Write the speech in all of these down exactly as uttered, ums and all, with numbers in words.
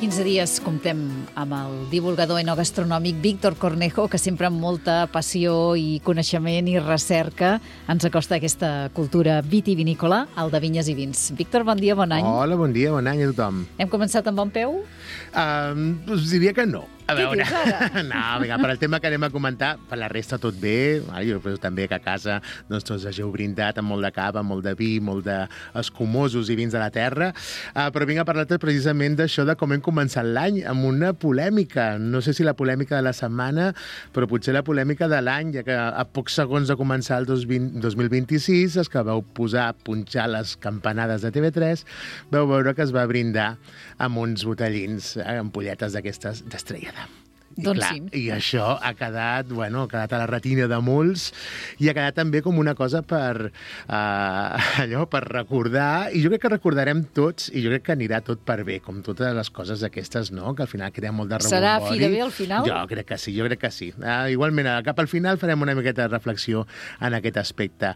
quinze dies comptem amb el divulgador enogastronòmic Víctor Cornejo, que sempre amb molta passió i coneixement i recerca ens acosta a aquesta cultura vitivinícola, el de vinyes i vins. Víctor, bon dia, bon any. Hola, bon dia, bon any a tothom. Hem començat amb bon peu? Um, us diria que no. A Què veure, dius ara? no, vinga, per al tema que anem a comentar, per la resta tot bé. Ah, jo penso també que a casa doncs, tots hageu brindat amb molt de cava, molt de vi, molt d'escumosos i vins de la terra. Uh, però vinc a parlar-te precisament d'això, de com hem començat l'any, amb una polèmica. No sé si la polèmica de la setmana, però potser la polèmica de l'any, ja que a pocs segons de començar el dos mil vint-i-sis, els que vau posar a punxar les campanades de T V tres, vau veure que es va brindar amb uns botellins, eh, ampolletes d'aquestes d'Estrella d'Am. I, doncs clar, sí. I això ha quedat, bueno, ha quedat a la retina de molts i ha quedat també com una cosa per, uh, allò, per recordar, i jo crec que recordarem tots, i jo crec que anirà tot per bé, com totes les coses aquestes, no?, que al final crea molt de rebombori. Serà fi de bé al final? Jo crec que sí, jo crec que sí. Uh, igualment, cap al final farem una miqueta de reflexió en aquest aspecte.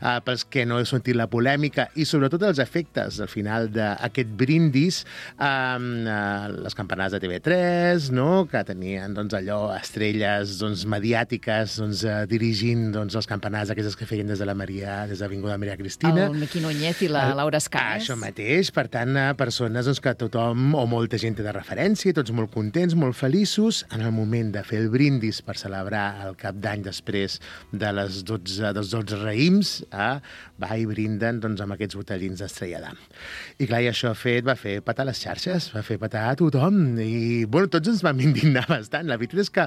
Uh, pels que no heu sentit la polèmica i sobretot els efectes al final d'aquest brindis, um, uh, les campanades de T V tres, no?, que tenien doncs, allò, estrelles doncs, mediàtiques doncs, eh, dirigint doncs, les campanades aquestes que feien des de la Maria, des de l'Avinguda Maria Cristina. El Miqui Núñez i la Laura Escanes. Això mateix, per tant, eh, persones doncs, que tothom o molta gent té de referència, tots molt contents, molt feliços, en el moment de fer el brindis per celebrar el cap d'any després de les dotze, dels dotze raïms, eh, va i brinden doncs, amb aquests botellins d'Estrella d'Am. I clar, i això fet va fer petar les xarxes, va fer petar a tothom, i bueno, tots ens vam indignar bastant. La veritat és que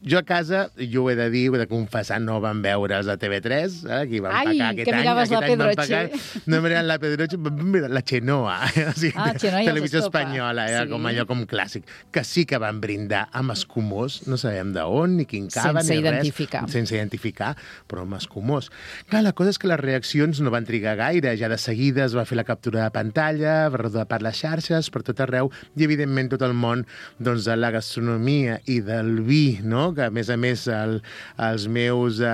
jo a casa, jo ho he de dir, ho he de confessar, no vam veure els de T V tres, eh, aquí vam Ai, pagar aquest que any. miraves la Pedroche. No miraven la Pedroche, vam mirar la Xenoa, eh? O sigui, ah, Xenoa i televisió els Estopa. espanyola, eh? Sí. Com allò com clàssic, que sí que van brindar amb escumós, no sabem d'on, ni quin cava, sense ni identificar. res, sense identificar, però amb escumós. Clar, la cosa és que les reaccions no van trigar gaire, ja de seguida es va fer la captura de pantalla, va rodar per les xarxes, per tot arreu, i evidentment tot el món doncs, de la gastronomia i del vi, no?, que a més a més el, els meus, eh,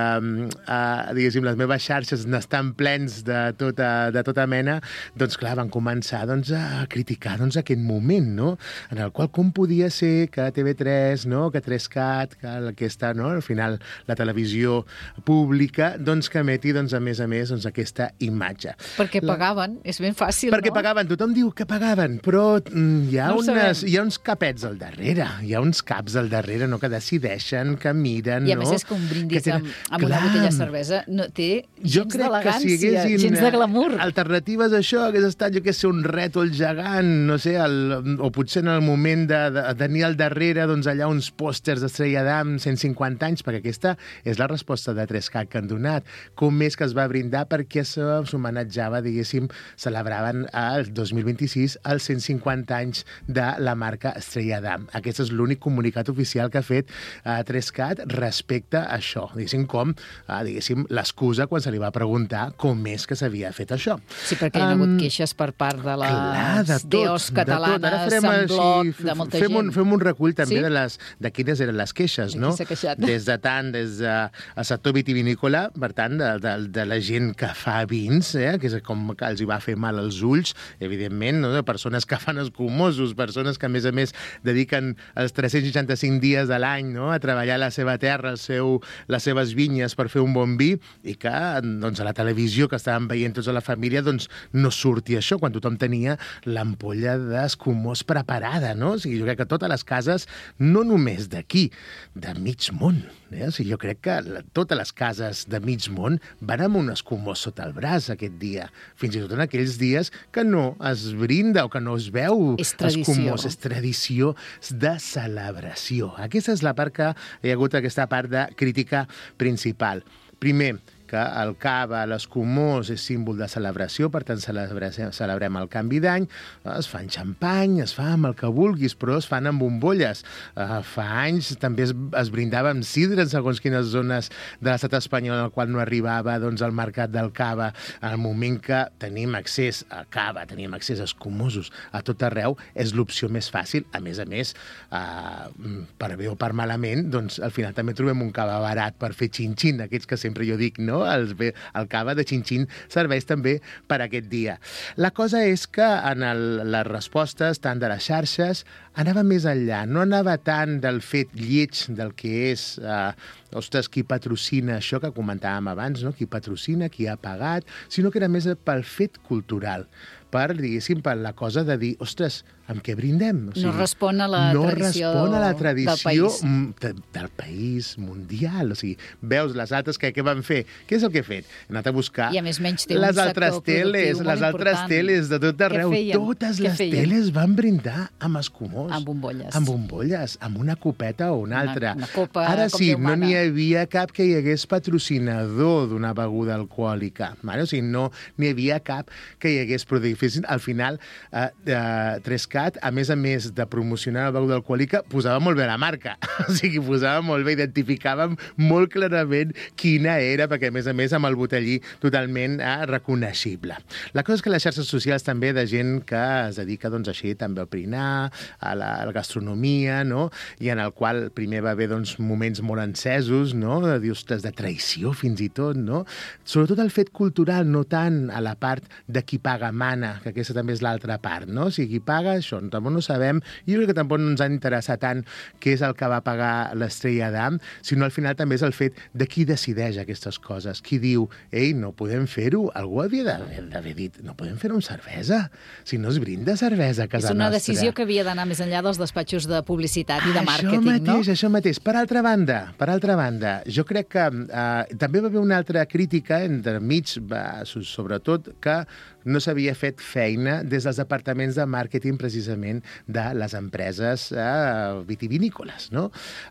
eh, diguéssim, les meves xarxes n'estan plens de tota, de tota mena, doncs clar, van començar doncs, a criticar doncs, aquest moment, no?, en el qual com podia ser que T V tres, no?, que tres cat, que aquesta, no?, al final la televisió pública, doncs que emeti, doncs, a més a més, doncs, aquesta imatge. Perquè La... pagaven, és ben fàcil, Perquè no? pagaven, tothom diu que pagaven, però mm, hi, ha No ho unes, sabem. hi ha uns capets al darrere, hi ha uns caps al darrere, no?, que decideixen, que miren, I a no? més és que un brindis que amb, amb una Clar. botella de cervesa no té Jo gens crec que si d'elegància, haguessin gens de glamour. alternatives a això, hagués estat, jo què sé, un rètol gegant, no sé, el, o potser en el moment de, de tenir al darrere doncs, allà uns pòsters d'Estrella d'Am cent cinquanta anys, perquè aquesta és la resposta de tres cat que han donat. Com és que es va brindar perquè s'homenatjava, diguéssim, celebraven el dos mil vint-i-sis els cent cinquanta anys de la marca Estrella d'Am. Aquest és l'únic comunicat oficial que ha fet eh, tres cat respecte a això, diguéssim, com eh, diguéssim, l'excusa quan se li va preguntar com és que s'havia fet això. Sí, perquè hi ha hagut queixes per part de les Clar, de tot, deos catalanes, de tot. Ara farem en així, bloc, de molta fem gent. Un, fem un recull també Sí? de, les, de quines eren les queixes, De qui no? s'ha queixat. Des de tant, des del sector vitivinícola, per tant, de, de, de la gent que fa vins, eh? Que és com que els hi va fer mal als ulls, evidentment, no? De persones que fan escumosos, persones que, a més a més, dediquen els tres-cents seixanta-cinc dies de l'any, no?, a treballar la seva terra, el seu, les seves vinyes per fer un bon vi, i que doncs, a la televisió que estàvem veient tots a la família doncs, no surti això, quan tothom tenia l'ampolla d'escumós preparada, no? O sigui, jo crec que totes les cases, no només d'aquí, de mig món, eh? O sigui, jo crec que la, totes les cases de mig món van amb un escumós sota el braç aquest dia, fins i tot en aquells dies que no es brinda o que no es veu És tradició. escumós, és tradició de celebració. Aquesta és la part que hi ha hagut, aquesta part de crítica principal. Primer, que el cava, l'escumós, és símbol de celebració, per tant celebrem, celebrem el canvi d'any, es fan xampany, es fa amb el que vulguis, però es fan amb bombolles. Uh, fa anys també es, es brindava amb sidra en segons quines zones de l'estat espanyol, en el qual no arribava doncs, al mercat del cava. En el moment que tenim accés a cava, tenim accés a escumosos a tot arreu, és l'opció més fàcil. A més a més, uh, per bé o per malament, doncs al final també trobem un cava barat per fer xin-xin, aquests que sempre jo dic, no? no? El, el cava de xin-xin serveix també per aquest dia. La cosa és que en el, les respostes, tant de les xarxes, anava més enllà. No anava tant del fet lleig del que és... Eh, ostres, qui patrocina això que comentàvem abans, no? Qui patrocina, qui ha pagat, sinó que era més pel fet cultural, per, diguéssim, per la cosa de dir, ostres, amb què brindem? O sigui, no respon a la no tradició, respon a la tradició del país. De, del país mundial. O sigui, veus les altres que què van fer? Què és el que he fet? He anat a buscar I a més menys té les un altres sector teles, les altres important. teles de tot arreu. Totes Què les feien? teles van brindar amb escumós. Amb bombolles. Amb bombolles, amb una copeta o una altra. Una, una copa, Ara com sí, Déu no mana. n'hi havia cap que hi hagués patrocinador d'una beguda alcohòlica. Vale? O sigui, no n'hi havia cap que hi hagués produït. Al final, eh, eh, Trescat, a més a més de promocionar la beguda alcohòlica, posava molt bé la marca. O sigui, posava molt bé, identificàvem molt clarament quina era, perquè a més a més amb el botellí totalment eh, reconeixible. La cosa és que les xarxes socials també de gent que es dedica doncs, així també al prinar, a la, a la gastronomia, no? I en el qual primer va haver doncs, moments molt encesos, no? De dir, ostres, de traïció fins i tot, no? Sobretot el fet cultural, no tant a la part de qui paga mana, que aquesta també és l'altra part, no? O sigui, qui paga, això, tampoc no sabem, i jo crec que tampoc no ens ha d'interessar tant què és el que va pagar l'Estrella d'Am, sinó al final també és el fet de qui decideix aquestes coses, qui diu, ei, no podem fer-ho, algú havia d'haver dit, no podem fer-ho amb cervesa, si no es brinda cervesa a casa nostra. És una decisió que havia d'anar més enllà dels despatxos de publicitat i de màrqueting, mateix, no? Això mateix, per altra banda, per altra banda, jo crec que eh, també va haver una altra crítica entremig, va, sobretot, que no s'havia fet feina des dels departaments de màrqueting precisament de les empreses eh, vitivinícoles, no?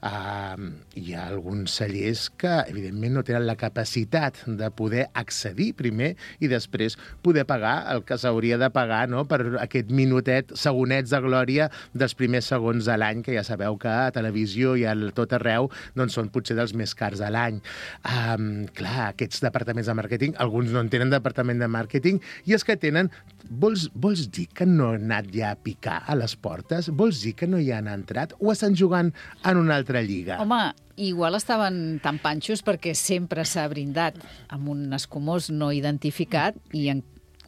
Eh, hi ha alguns cellers que, evidentment, no tenen la capacitat de poder accedir primer i després poder pagar el que s'hauria de pagar, no?, per aquest minutet, segonets de glòria dels primers segons de l'any, que ja sabeu que a televisió i a tot arreu doncs són potser dels més cars de l'any. Um, clar, aquests departaments de màrqueting, alguns no en tenen departament de màrqueting, i els que tenen, vols, vols dir que no han anat ja a picar a les portes? Vols dir que no hi han entrat? O estan jugant en una altra lliga? Home, igual estaven tan panxos perquè sempre s'ha brindat amb un escumós no identificat i en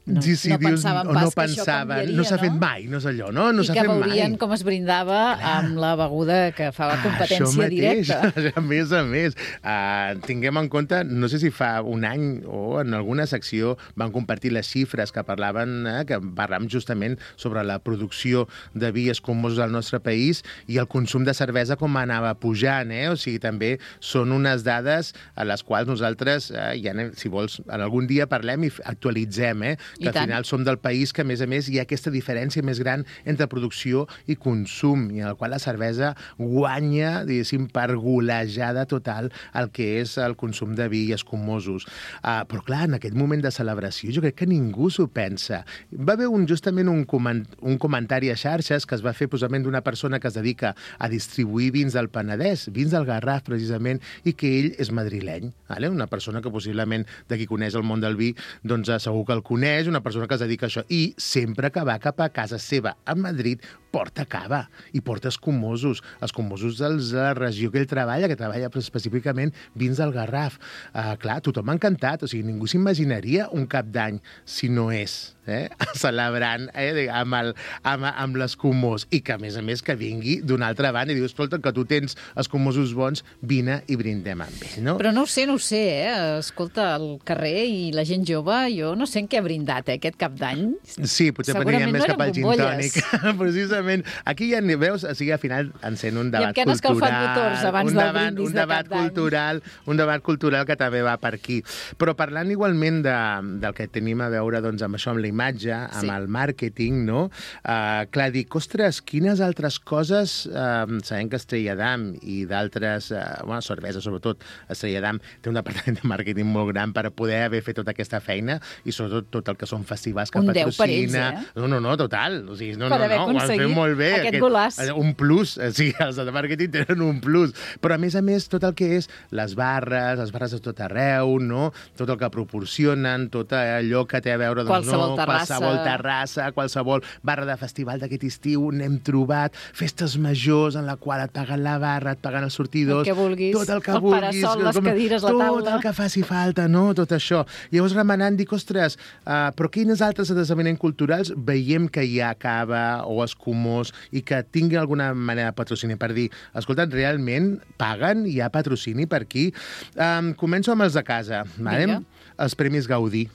No, sí, sí, no dius, pensaven o pas no que això pensaven, canviaria, no s'ha fet no? mai, no és allò, no? No I s'ha que fet mai. veurien com es brindava amb la beguda que fa competència Això mateix, directa. A més a més, uh, tinguem en compte, no sé si fa un any o en alguna secció van compartir les xifres que parlaven, eh, que parlàvem justament sobre la producció de vi escumosos al nostre país i el consum de cervesa com anava pujant, eh? O sigui, també són unes dades a les quals nosaltres, eh, ja anem, si vols, en algun dia parlem i actualitzem, eh? Que al final som del país que, a més a més, hi ha aquesta diferència més gran entre producció i consum, i en el qual la cervesa guanya, diguéssim, per golejada total el que és el consum de vi i escumosos. Uh, però, clar, en aquest moment de celebració jo crec que ningú s'ho pensa. Va haver un, justament un, coment, un comentari a xarxes que es va fer posament d'una persona que es dedica a distribuir vins del Penedès, vins del Garraf, precisament, i que ell és madrileny. Vale? Una persona que possiblement, de qui coneix el món del vi, doncs segur que el coneix, una persona que es dedica a això, i sempre que va cap a casa seva a Madrid porta cava i porta escumosos, escumosos de la regió que ell treballa, que treballa específicament vins del Garraf. Uh, clar, tothom ha encantat, o sigui, ningú s'imaginaria un cap d'any si no és eh, celebrant eh, amb, el, amb, amb l'escumós, i que a més a més que vingui d'una altra banda i diu, escolta, que tu tens escumosos bons, vine i brindem amb ell, no? Però no ho sé, no ho sé, eh? Escolta, al carrer i la gent jove, jo no sé en què ha brindat, eh, aquest cap d'any. Sí, potser aniríem més no cap al gin tònic. Precisament. Aquí ja ni veus, o sigui, al final encén un debat cultural. I amb què han escalfat motors abans del debat, brindis un de debat cap d'any. cultural, un debat cultural que també va per aquí. Però parlant igualment de, del que tenim a veure doncs, amb això, amb la imatge, amb sí. el màrqueting, no? Uh, clar, dic, ostres, quines altres coses, uh, sabem que Estrella d'Am i d'altres, uh, bueno, cervesa sobretot, Estrella d'Am té un departament de màrqueting molt gran per poder haver fet tota aquesta feina i sobretot tot el que són festivals que un patrocina. deu per ells, eh? No, no, no, total. O sigui, no, per no, haver no, aconseguit molt bé. Aquest, aquest golaç. Un plus, sí, els de màrqueting tenen un plus. Però, a més a més, tot el que és les barres, les barres de tot arreu, no? Tot el que proporcionen, tot allò que té a veure... Doncs, qualsevol no? terrassa. Qualsevol terrassa, qualsevol barra de festival d'aquest estiu, n'hem trobat, festes majors en la qual et paguen la barra, et paguen els sortidors... El que vulguis, tot el, que el vulguis, parasol, les com, cadires, la taula... Tot el que faci falta, no? Tot això. Llavors, remenant, dic, ostres, uh, però quines altres esdeveniments culturals veiem que hi ha cava o escumós i que tinguin alguna manera de patrocini per dir, escolta, realment paguen, hi ha patrocini per aquí. Um, començo amb els de casa, vale? Els Premis Gaudí.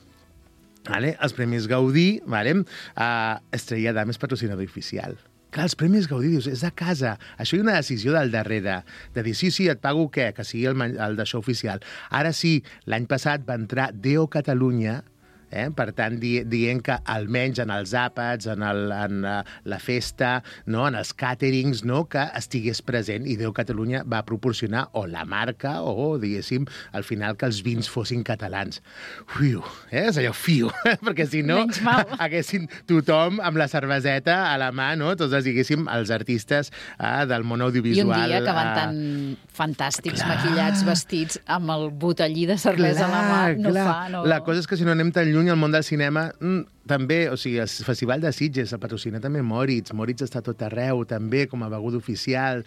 Vale? Els Premis Gaudí, vale? uh, Estrella Damm és patrocinador oficial. Clar, els Premis Gaudí, dius, és de casa. Això hi ha una decisió del darrere, de dir, sí, sí, et pago què? Que sigui el, el d'això oficial. Ara sí, l'any passat va entrar Deo Catalunya, Eh? Per tant, di dient que almenys en els àpats, en, el, en uh, la festa, no? En els càterings, no? Que estigués present. I Deu Catalunya va proporcionar o la marca o, diguéssim, al final que els vins fossin catalans. Fiu, eh? És allò, fiu, perquè si no haguessin tothom amb la cerveseta a la mà, no? Tots, diguéssim, els artistes eh, del món audiovisual. I un dia que van tan fantàstics, clar, maquillats, vestits, amb el botellí de cervesa clar, a la mà, no clar. fa... No... La cosa és que si no anem tan lluny al món del cinema, mm, també, o sigui, el Festival de Sitges, el patrocina també Moritz. Moritz està tot arreu, també, com a beguda oficial.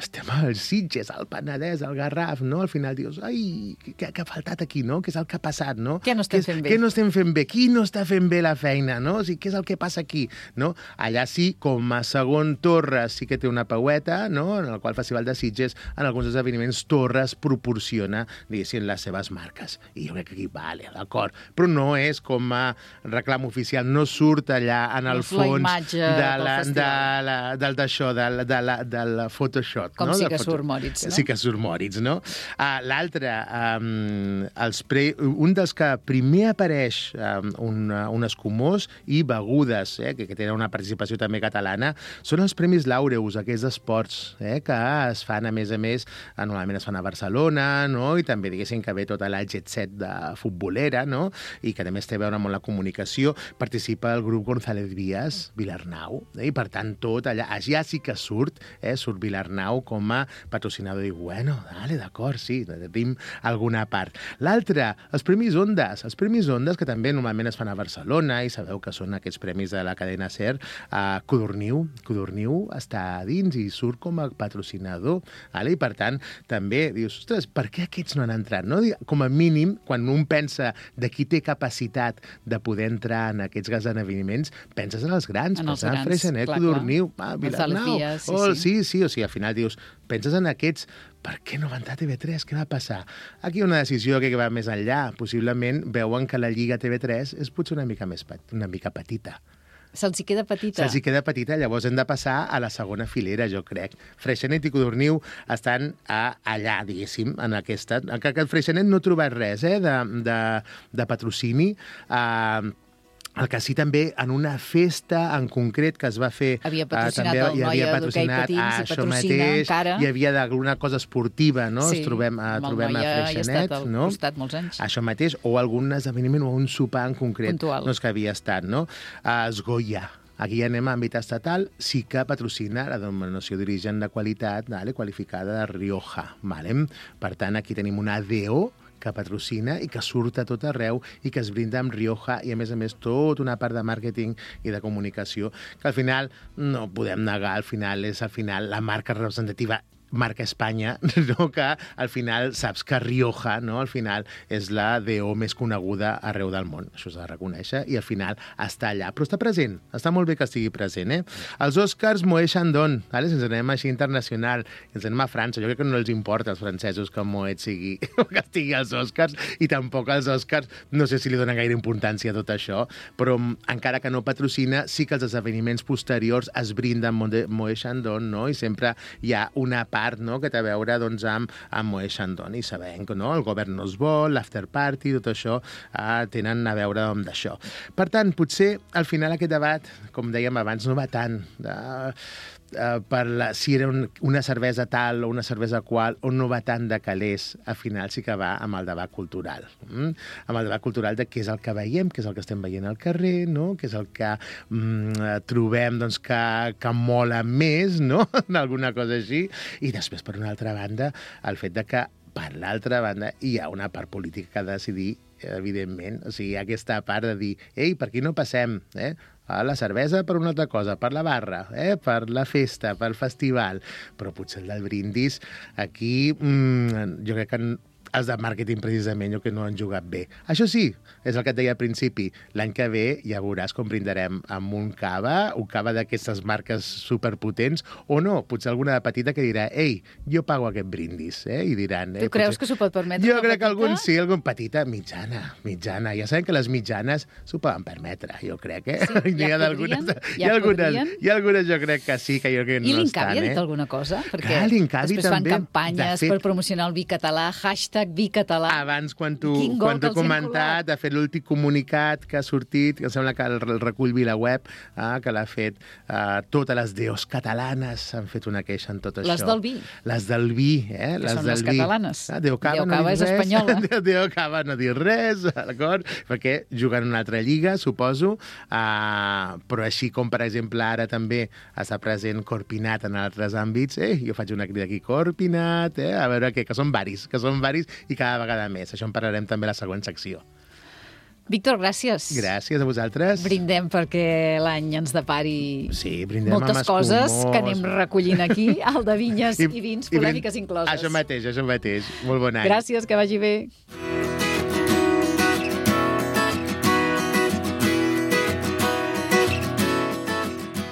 Estem als Sitges, al Penedès, al Garraf, no? Al final dius, ai, què, què ha faltat aquí, no? Què és el que ha passat, no? Què no estem fent bé? Què no estem fent bé? Qui no està fent bé la feina, no? O sigui, què és el que passa aquí, no? Allà sí, com a segon Torres sí que té una paueta, no? En el qual el Festival de Sitges, en alguns esdeveniments, Torres proporciona, diguéssim, les seves marques. I jo crec que aquí, vale, d'acord. Però no és com a reclam oficial, no surt allà en el fons de la, de la, del d'això, del, de la, del Photoshop. Com no? sí que foto... surt Moritz, no? Sí que surt Moritz, no? Uh, L'altre, um, els pre... un dels que primer apareix um, un, un escumós i begudes, eh, que, que tenen una participació també catalana, són els Premis Laureus, aquests d'esports, eh, que es fan, a més a més, normalment es fan a Barcelona, no? I també, diguéssim, que ve tota la jet set de futbolera, no? I que també es té a veure amb la comunicació. Participa el grup González Vías, Vilarnau, eh? I per tant tot allà, ja sí que surt, eh? Surt Vilarnau com a patrocinador i bueno, dale, d'acord, sí, tenim alguna part. L'altre, els Premis Ondas, els Premis Ondas que també normalment es fan a Barcelona i sabeu que són aquests premis de la cadena SER, a Codorniu, Codorniu està a dins i surt com a patrocinador, vale? I per tant també dius, ostres, per què aquests no han entrat? No? Com a mínim, quan un pensa de qui té capacitat de poder entrar en aquests esdeveniments, penses en els grans, en els penses en Freixenet, Codorniu, ah, Vilarnau, sí, oh, sí. sí, sí, o sigui, al final dius, penses en aquests, per què no va entrar a T V tres? Què va passar? Aquí hi ha una decisió que va més enllà. Possiblement veuen que la Lliga T V tres és potser una mica més una mica petita. Se'ls hi queda petita. Se'ls hi queda petita, llavors hem de passar a la segona filera, jo crec. Freixenet i Codorniu estan a, allà, diguéssim, en aquesta... Que, que el Freixenet no ha trobat res eh, de, de, de patrocini. Uh, El que sí també, en una festa en concret que es va fer... Havia patrocinat uh, el Noia d'Hoquei Patins i patrocina encara. Hi havia d'alguna cosa esportiva, no? Sí, Es trobem, uh, trobem a Freixenet, ha estat al no? costat molts anys. Això mateix, o algun esdeveniment o un sopar en concret. Puntual. No és que havia estat, no? Uh, Esgoia. Aquí anem a àmbit estatal, sí que patrocina la denominació d'origen de qualitat, vale, qualificada de Rioja. Vale? Per tant, aquí tenim una D O que patrocina i que surt a tot arreu i que es brinda amb Rioja i, a més a més, tota una part de màrqueting i de comunicació que al final no podem negar, al final és al final la marca representativa marca Espanya, no? Que al final saps que Rioja, no? Al final és la D O més coneguda arreu del món. Això s'ha de reconèixer i al final està allà. Però està present. Està molt bé que estigui present, eh? Els Oscars Moët Chandon, vale? Si ens anem així internacional, ens anem a França. Jo crec que no els importa als francesos que Moët sigui, que estigui als Oscars i tampoc als Oscars no sé si li donen gaire importància a tot això, però encara que no patrocina, sí que els esdeveniments posteriors es brinden Moët Chandon, no? I sempre hi ha una part no? Que té a veure doncs, amb, amb Moët Chandon i sabem que no? El govern no es vol, l'after party, tot això eh, tenen a veure amb d'això. Per tant, potser al final aquest debat, com dèiem abans, no va tant de... Uh, per la, si era un, una cervesa tal o una cervesa qual, o no va tant de calés, al final sí que va amb el debat cultural. Mm? Amb el debat cultural de què és el que veiem, què és el que estem veient al carrer, no? Què és el que mm, trobem doncs, que, que mola més, no? Alguna cosa així. I després, per una altra banda, el fet de que, per l'altra banda, hi ha una part política que ha de decidir, evidentment. O sigui, hi ha aquesta part de dir, ei, per aquí no passem, eh? A la cervesa per una altra cosa, per la barra, eh? Per la festa, pel festival. Però potser el del brindis, aquí mmm, jo crec que els de màrqueting precisament jo que no han jugat bé. Això sí, és el que et deia al principi, l'any que ve ja veuràs com brindarem amb un cava, un cava d'aquestes marques superpotents, o no, potser alguna de petita que dirà, ei, jo pago aquest brindis, eh? I diran... Eh, tu creus potser... que s'ho pot permetre? Jo crec que algun sí, algun petita, mitjana, mitjana. Ja sabem que les mitjanes s'ho poden permetre, jo crec, eh? Sí, ja hi ha podrien, ja hi ha algunes, podrien. Hi ha algunes jo crec que sí, que jo crec que I no estan, eh? I l'Incavi ha dit alguna cosa? Perquè Clar, l'Incavi després fan també, campanyes fet, per promocionar el vi català, hashtag vi català. Abans, quan t'ho quan he comentat, ha fet l'últim comunicat que ha sortit, que em sembla que el, el recull VilaWeb, eh, que l'ha fet eh, totes les deos catalanes han fet una queixa en tot les això. Les del vi. Les del vi, eh? Que les són del les vi. catalanes. Ah, Deo Cava, Deo no Cava és res. espanyola. Deo Cava no diu res, d'acord? Perquè juguen en una altra lliga, suposo, uh, però així com, per exemple, ara també està present Corpinat en altres àmbits, eh? Jo faig una crida aquí, Corpinat, eh? A veure què, que són varis, que són varis i cada vegada més. Això en parlarem també a la següent secció. Víctor, gràcies. Gràcies a vosaltres. Brindem perquè l'any ens depari sí, brindem moltes amb coses escumós. que anem recollint aquí, al de vinyes i, i vins, polèmiques i incloses. Això mateix, això mateix. Molt bon any. Gràcies, que vagi bé.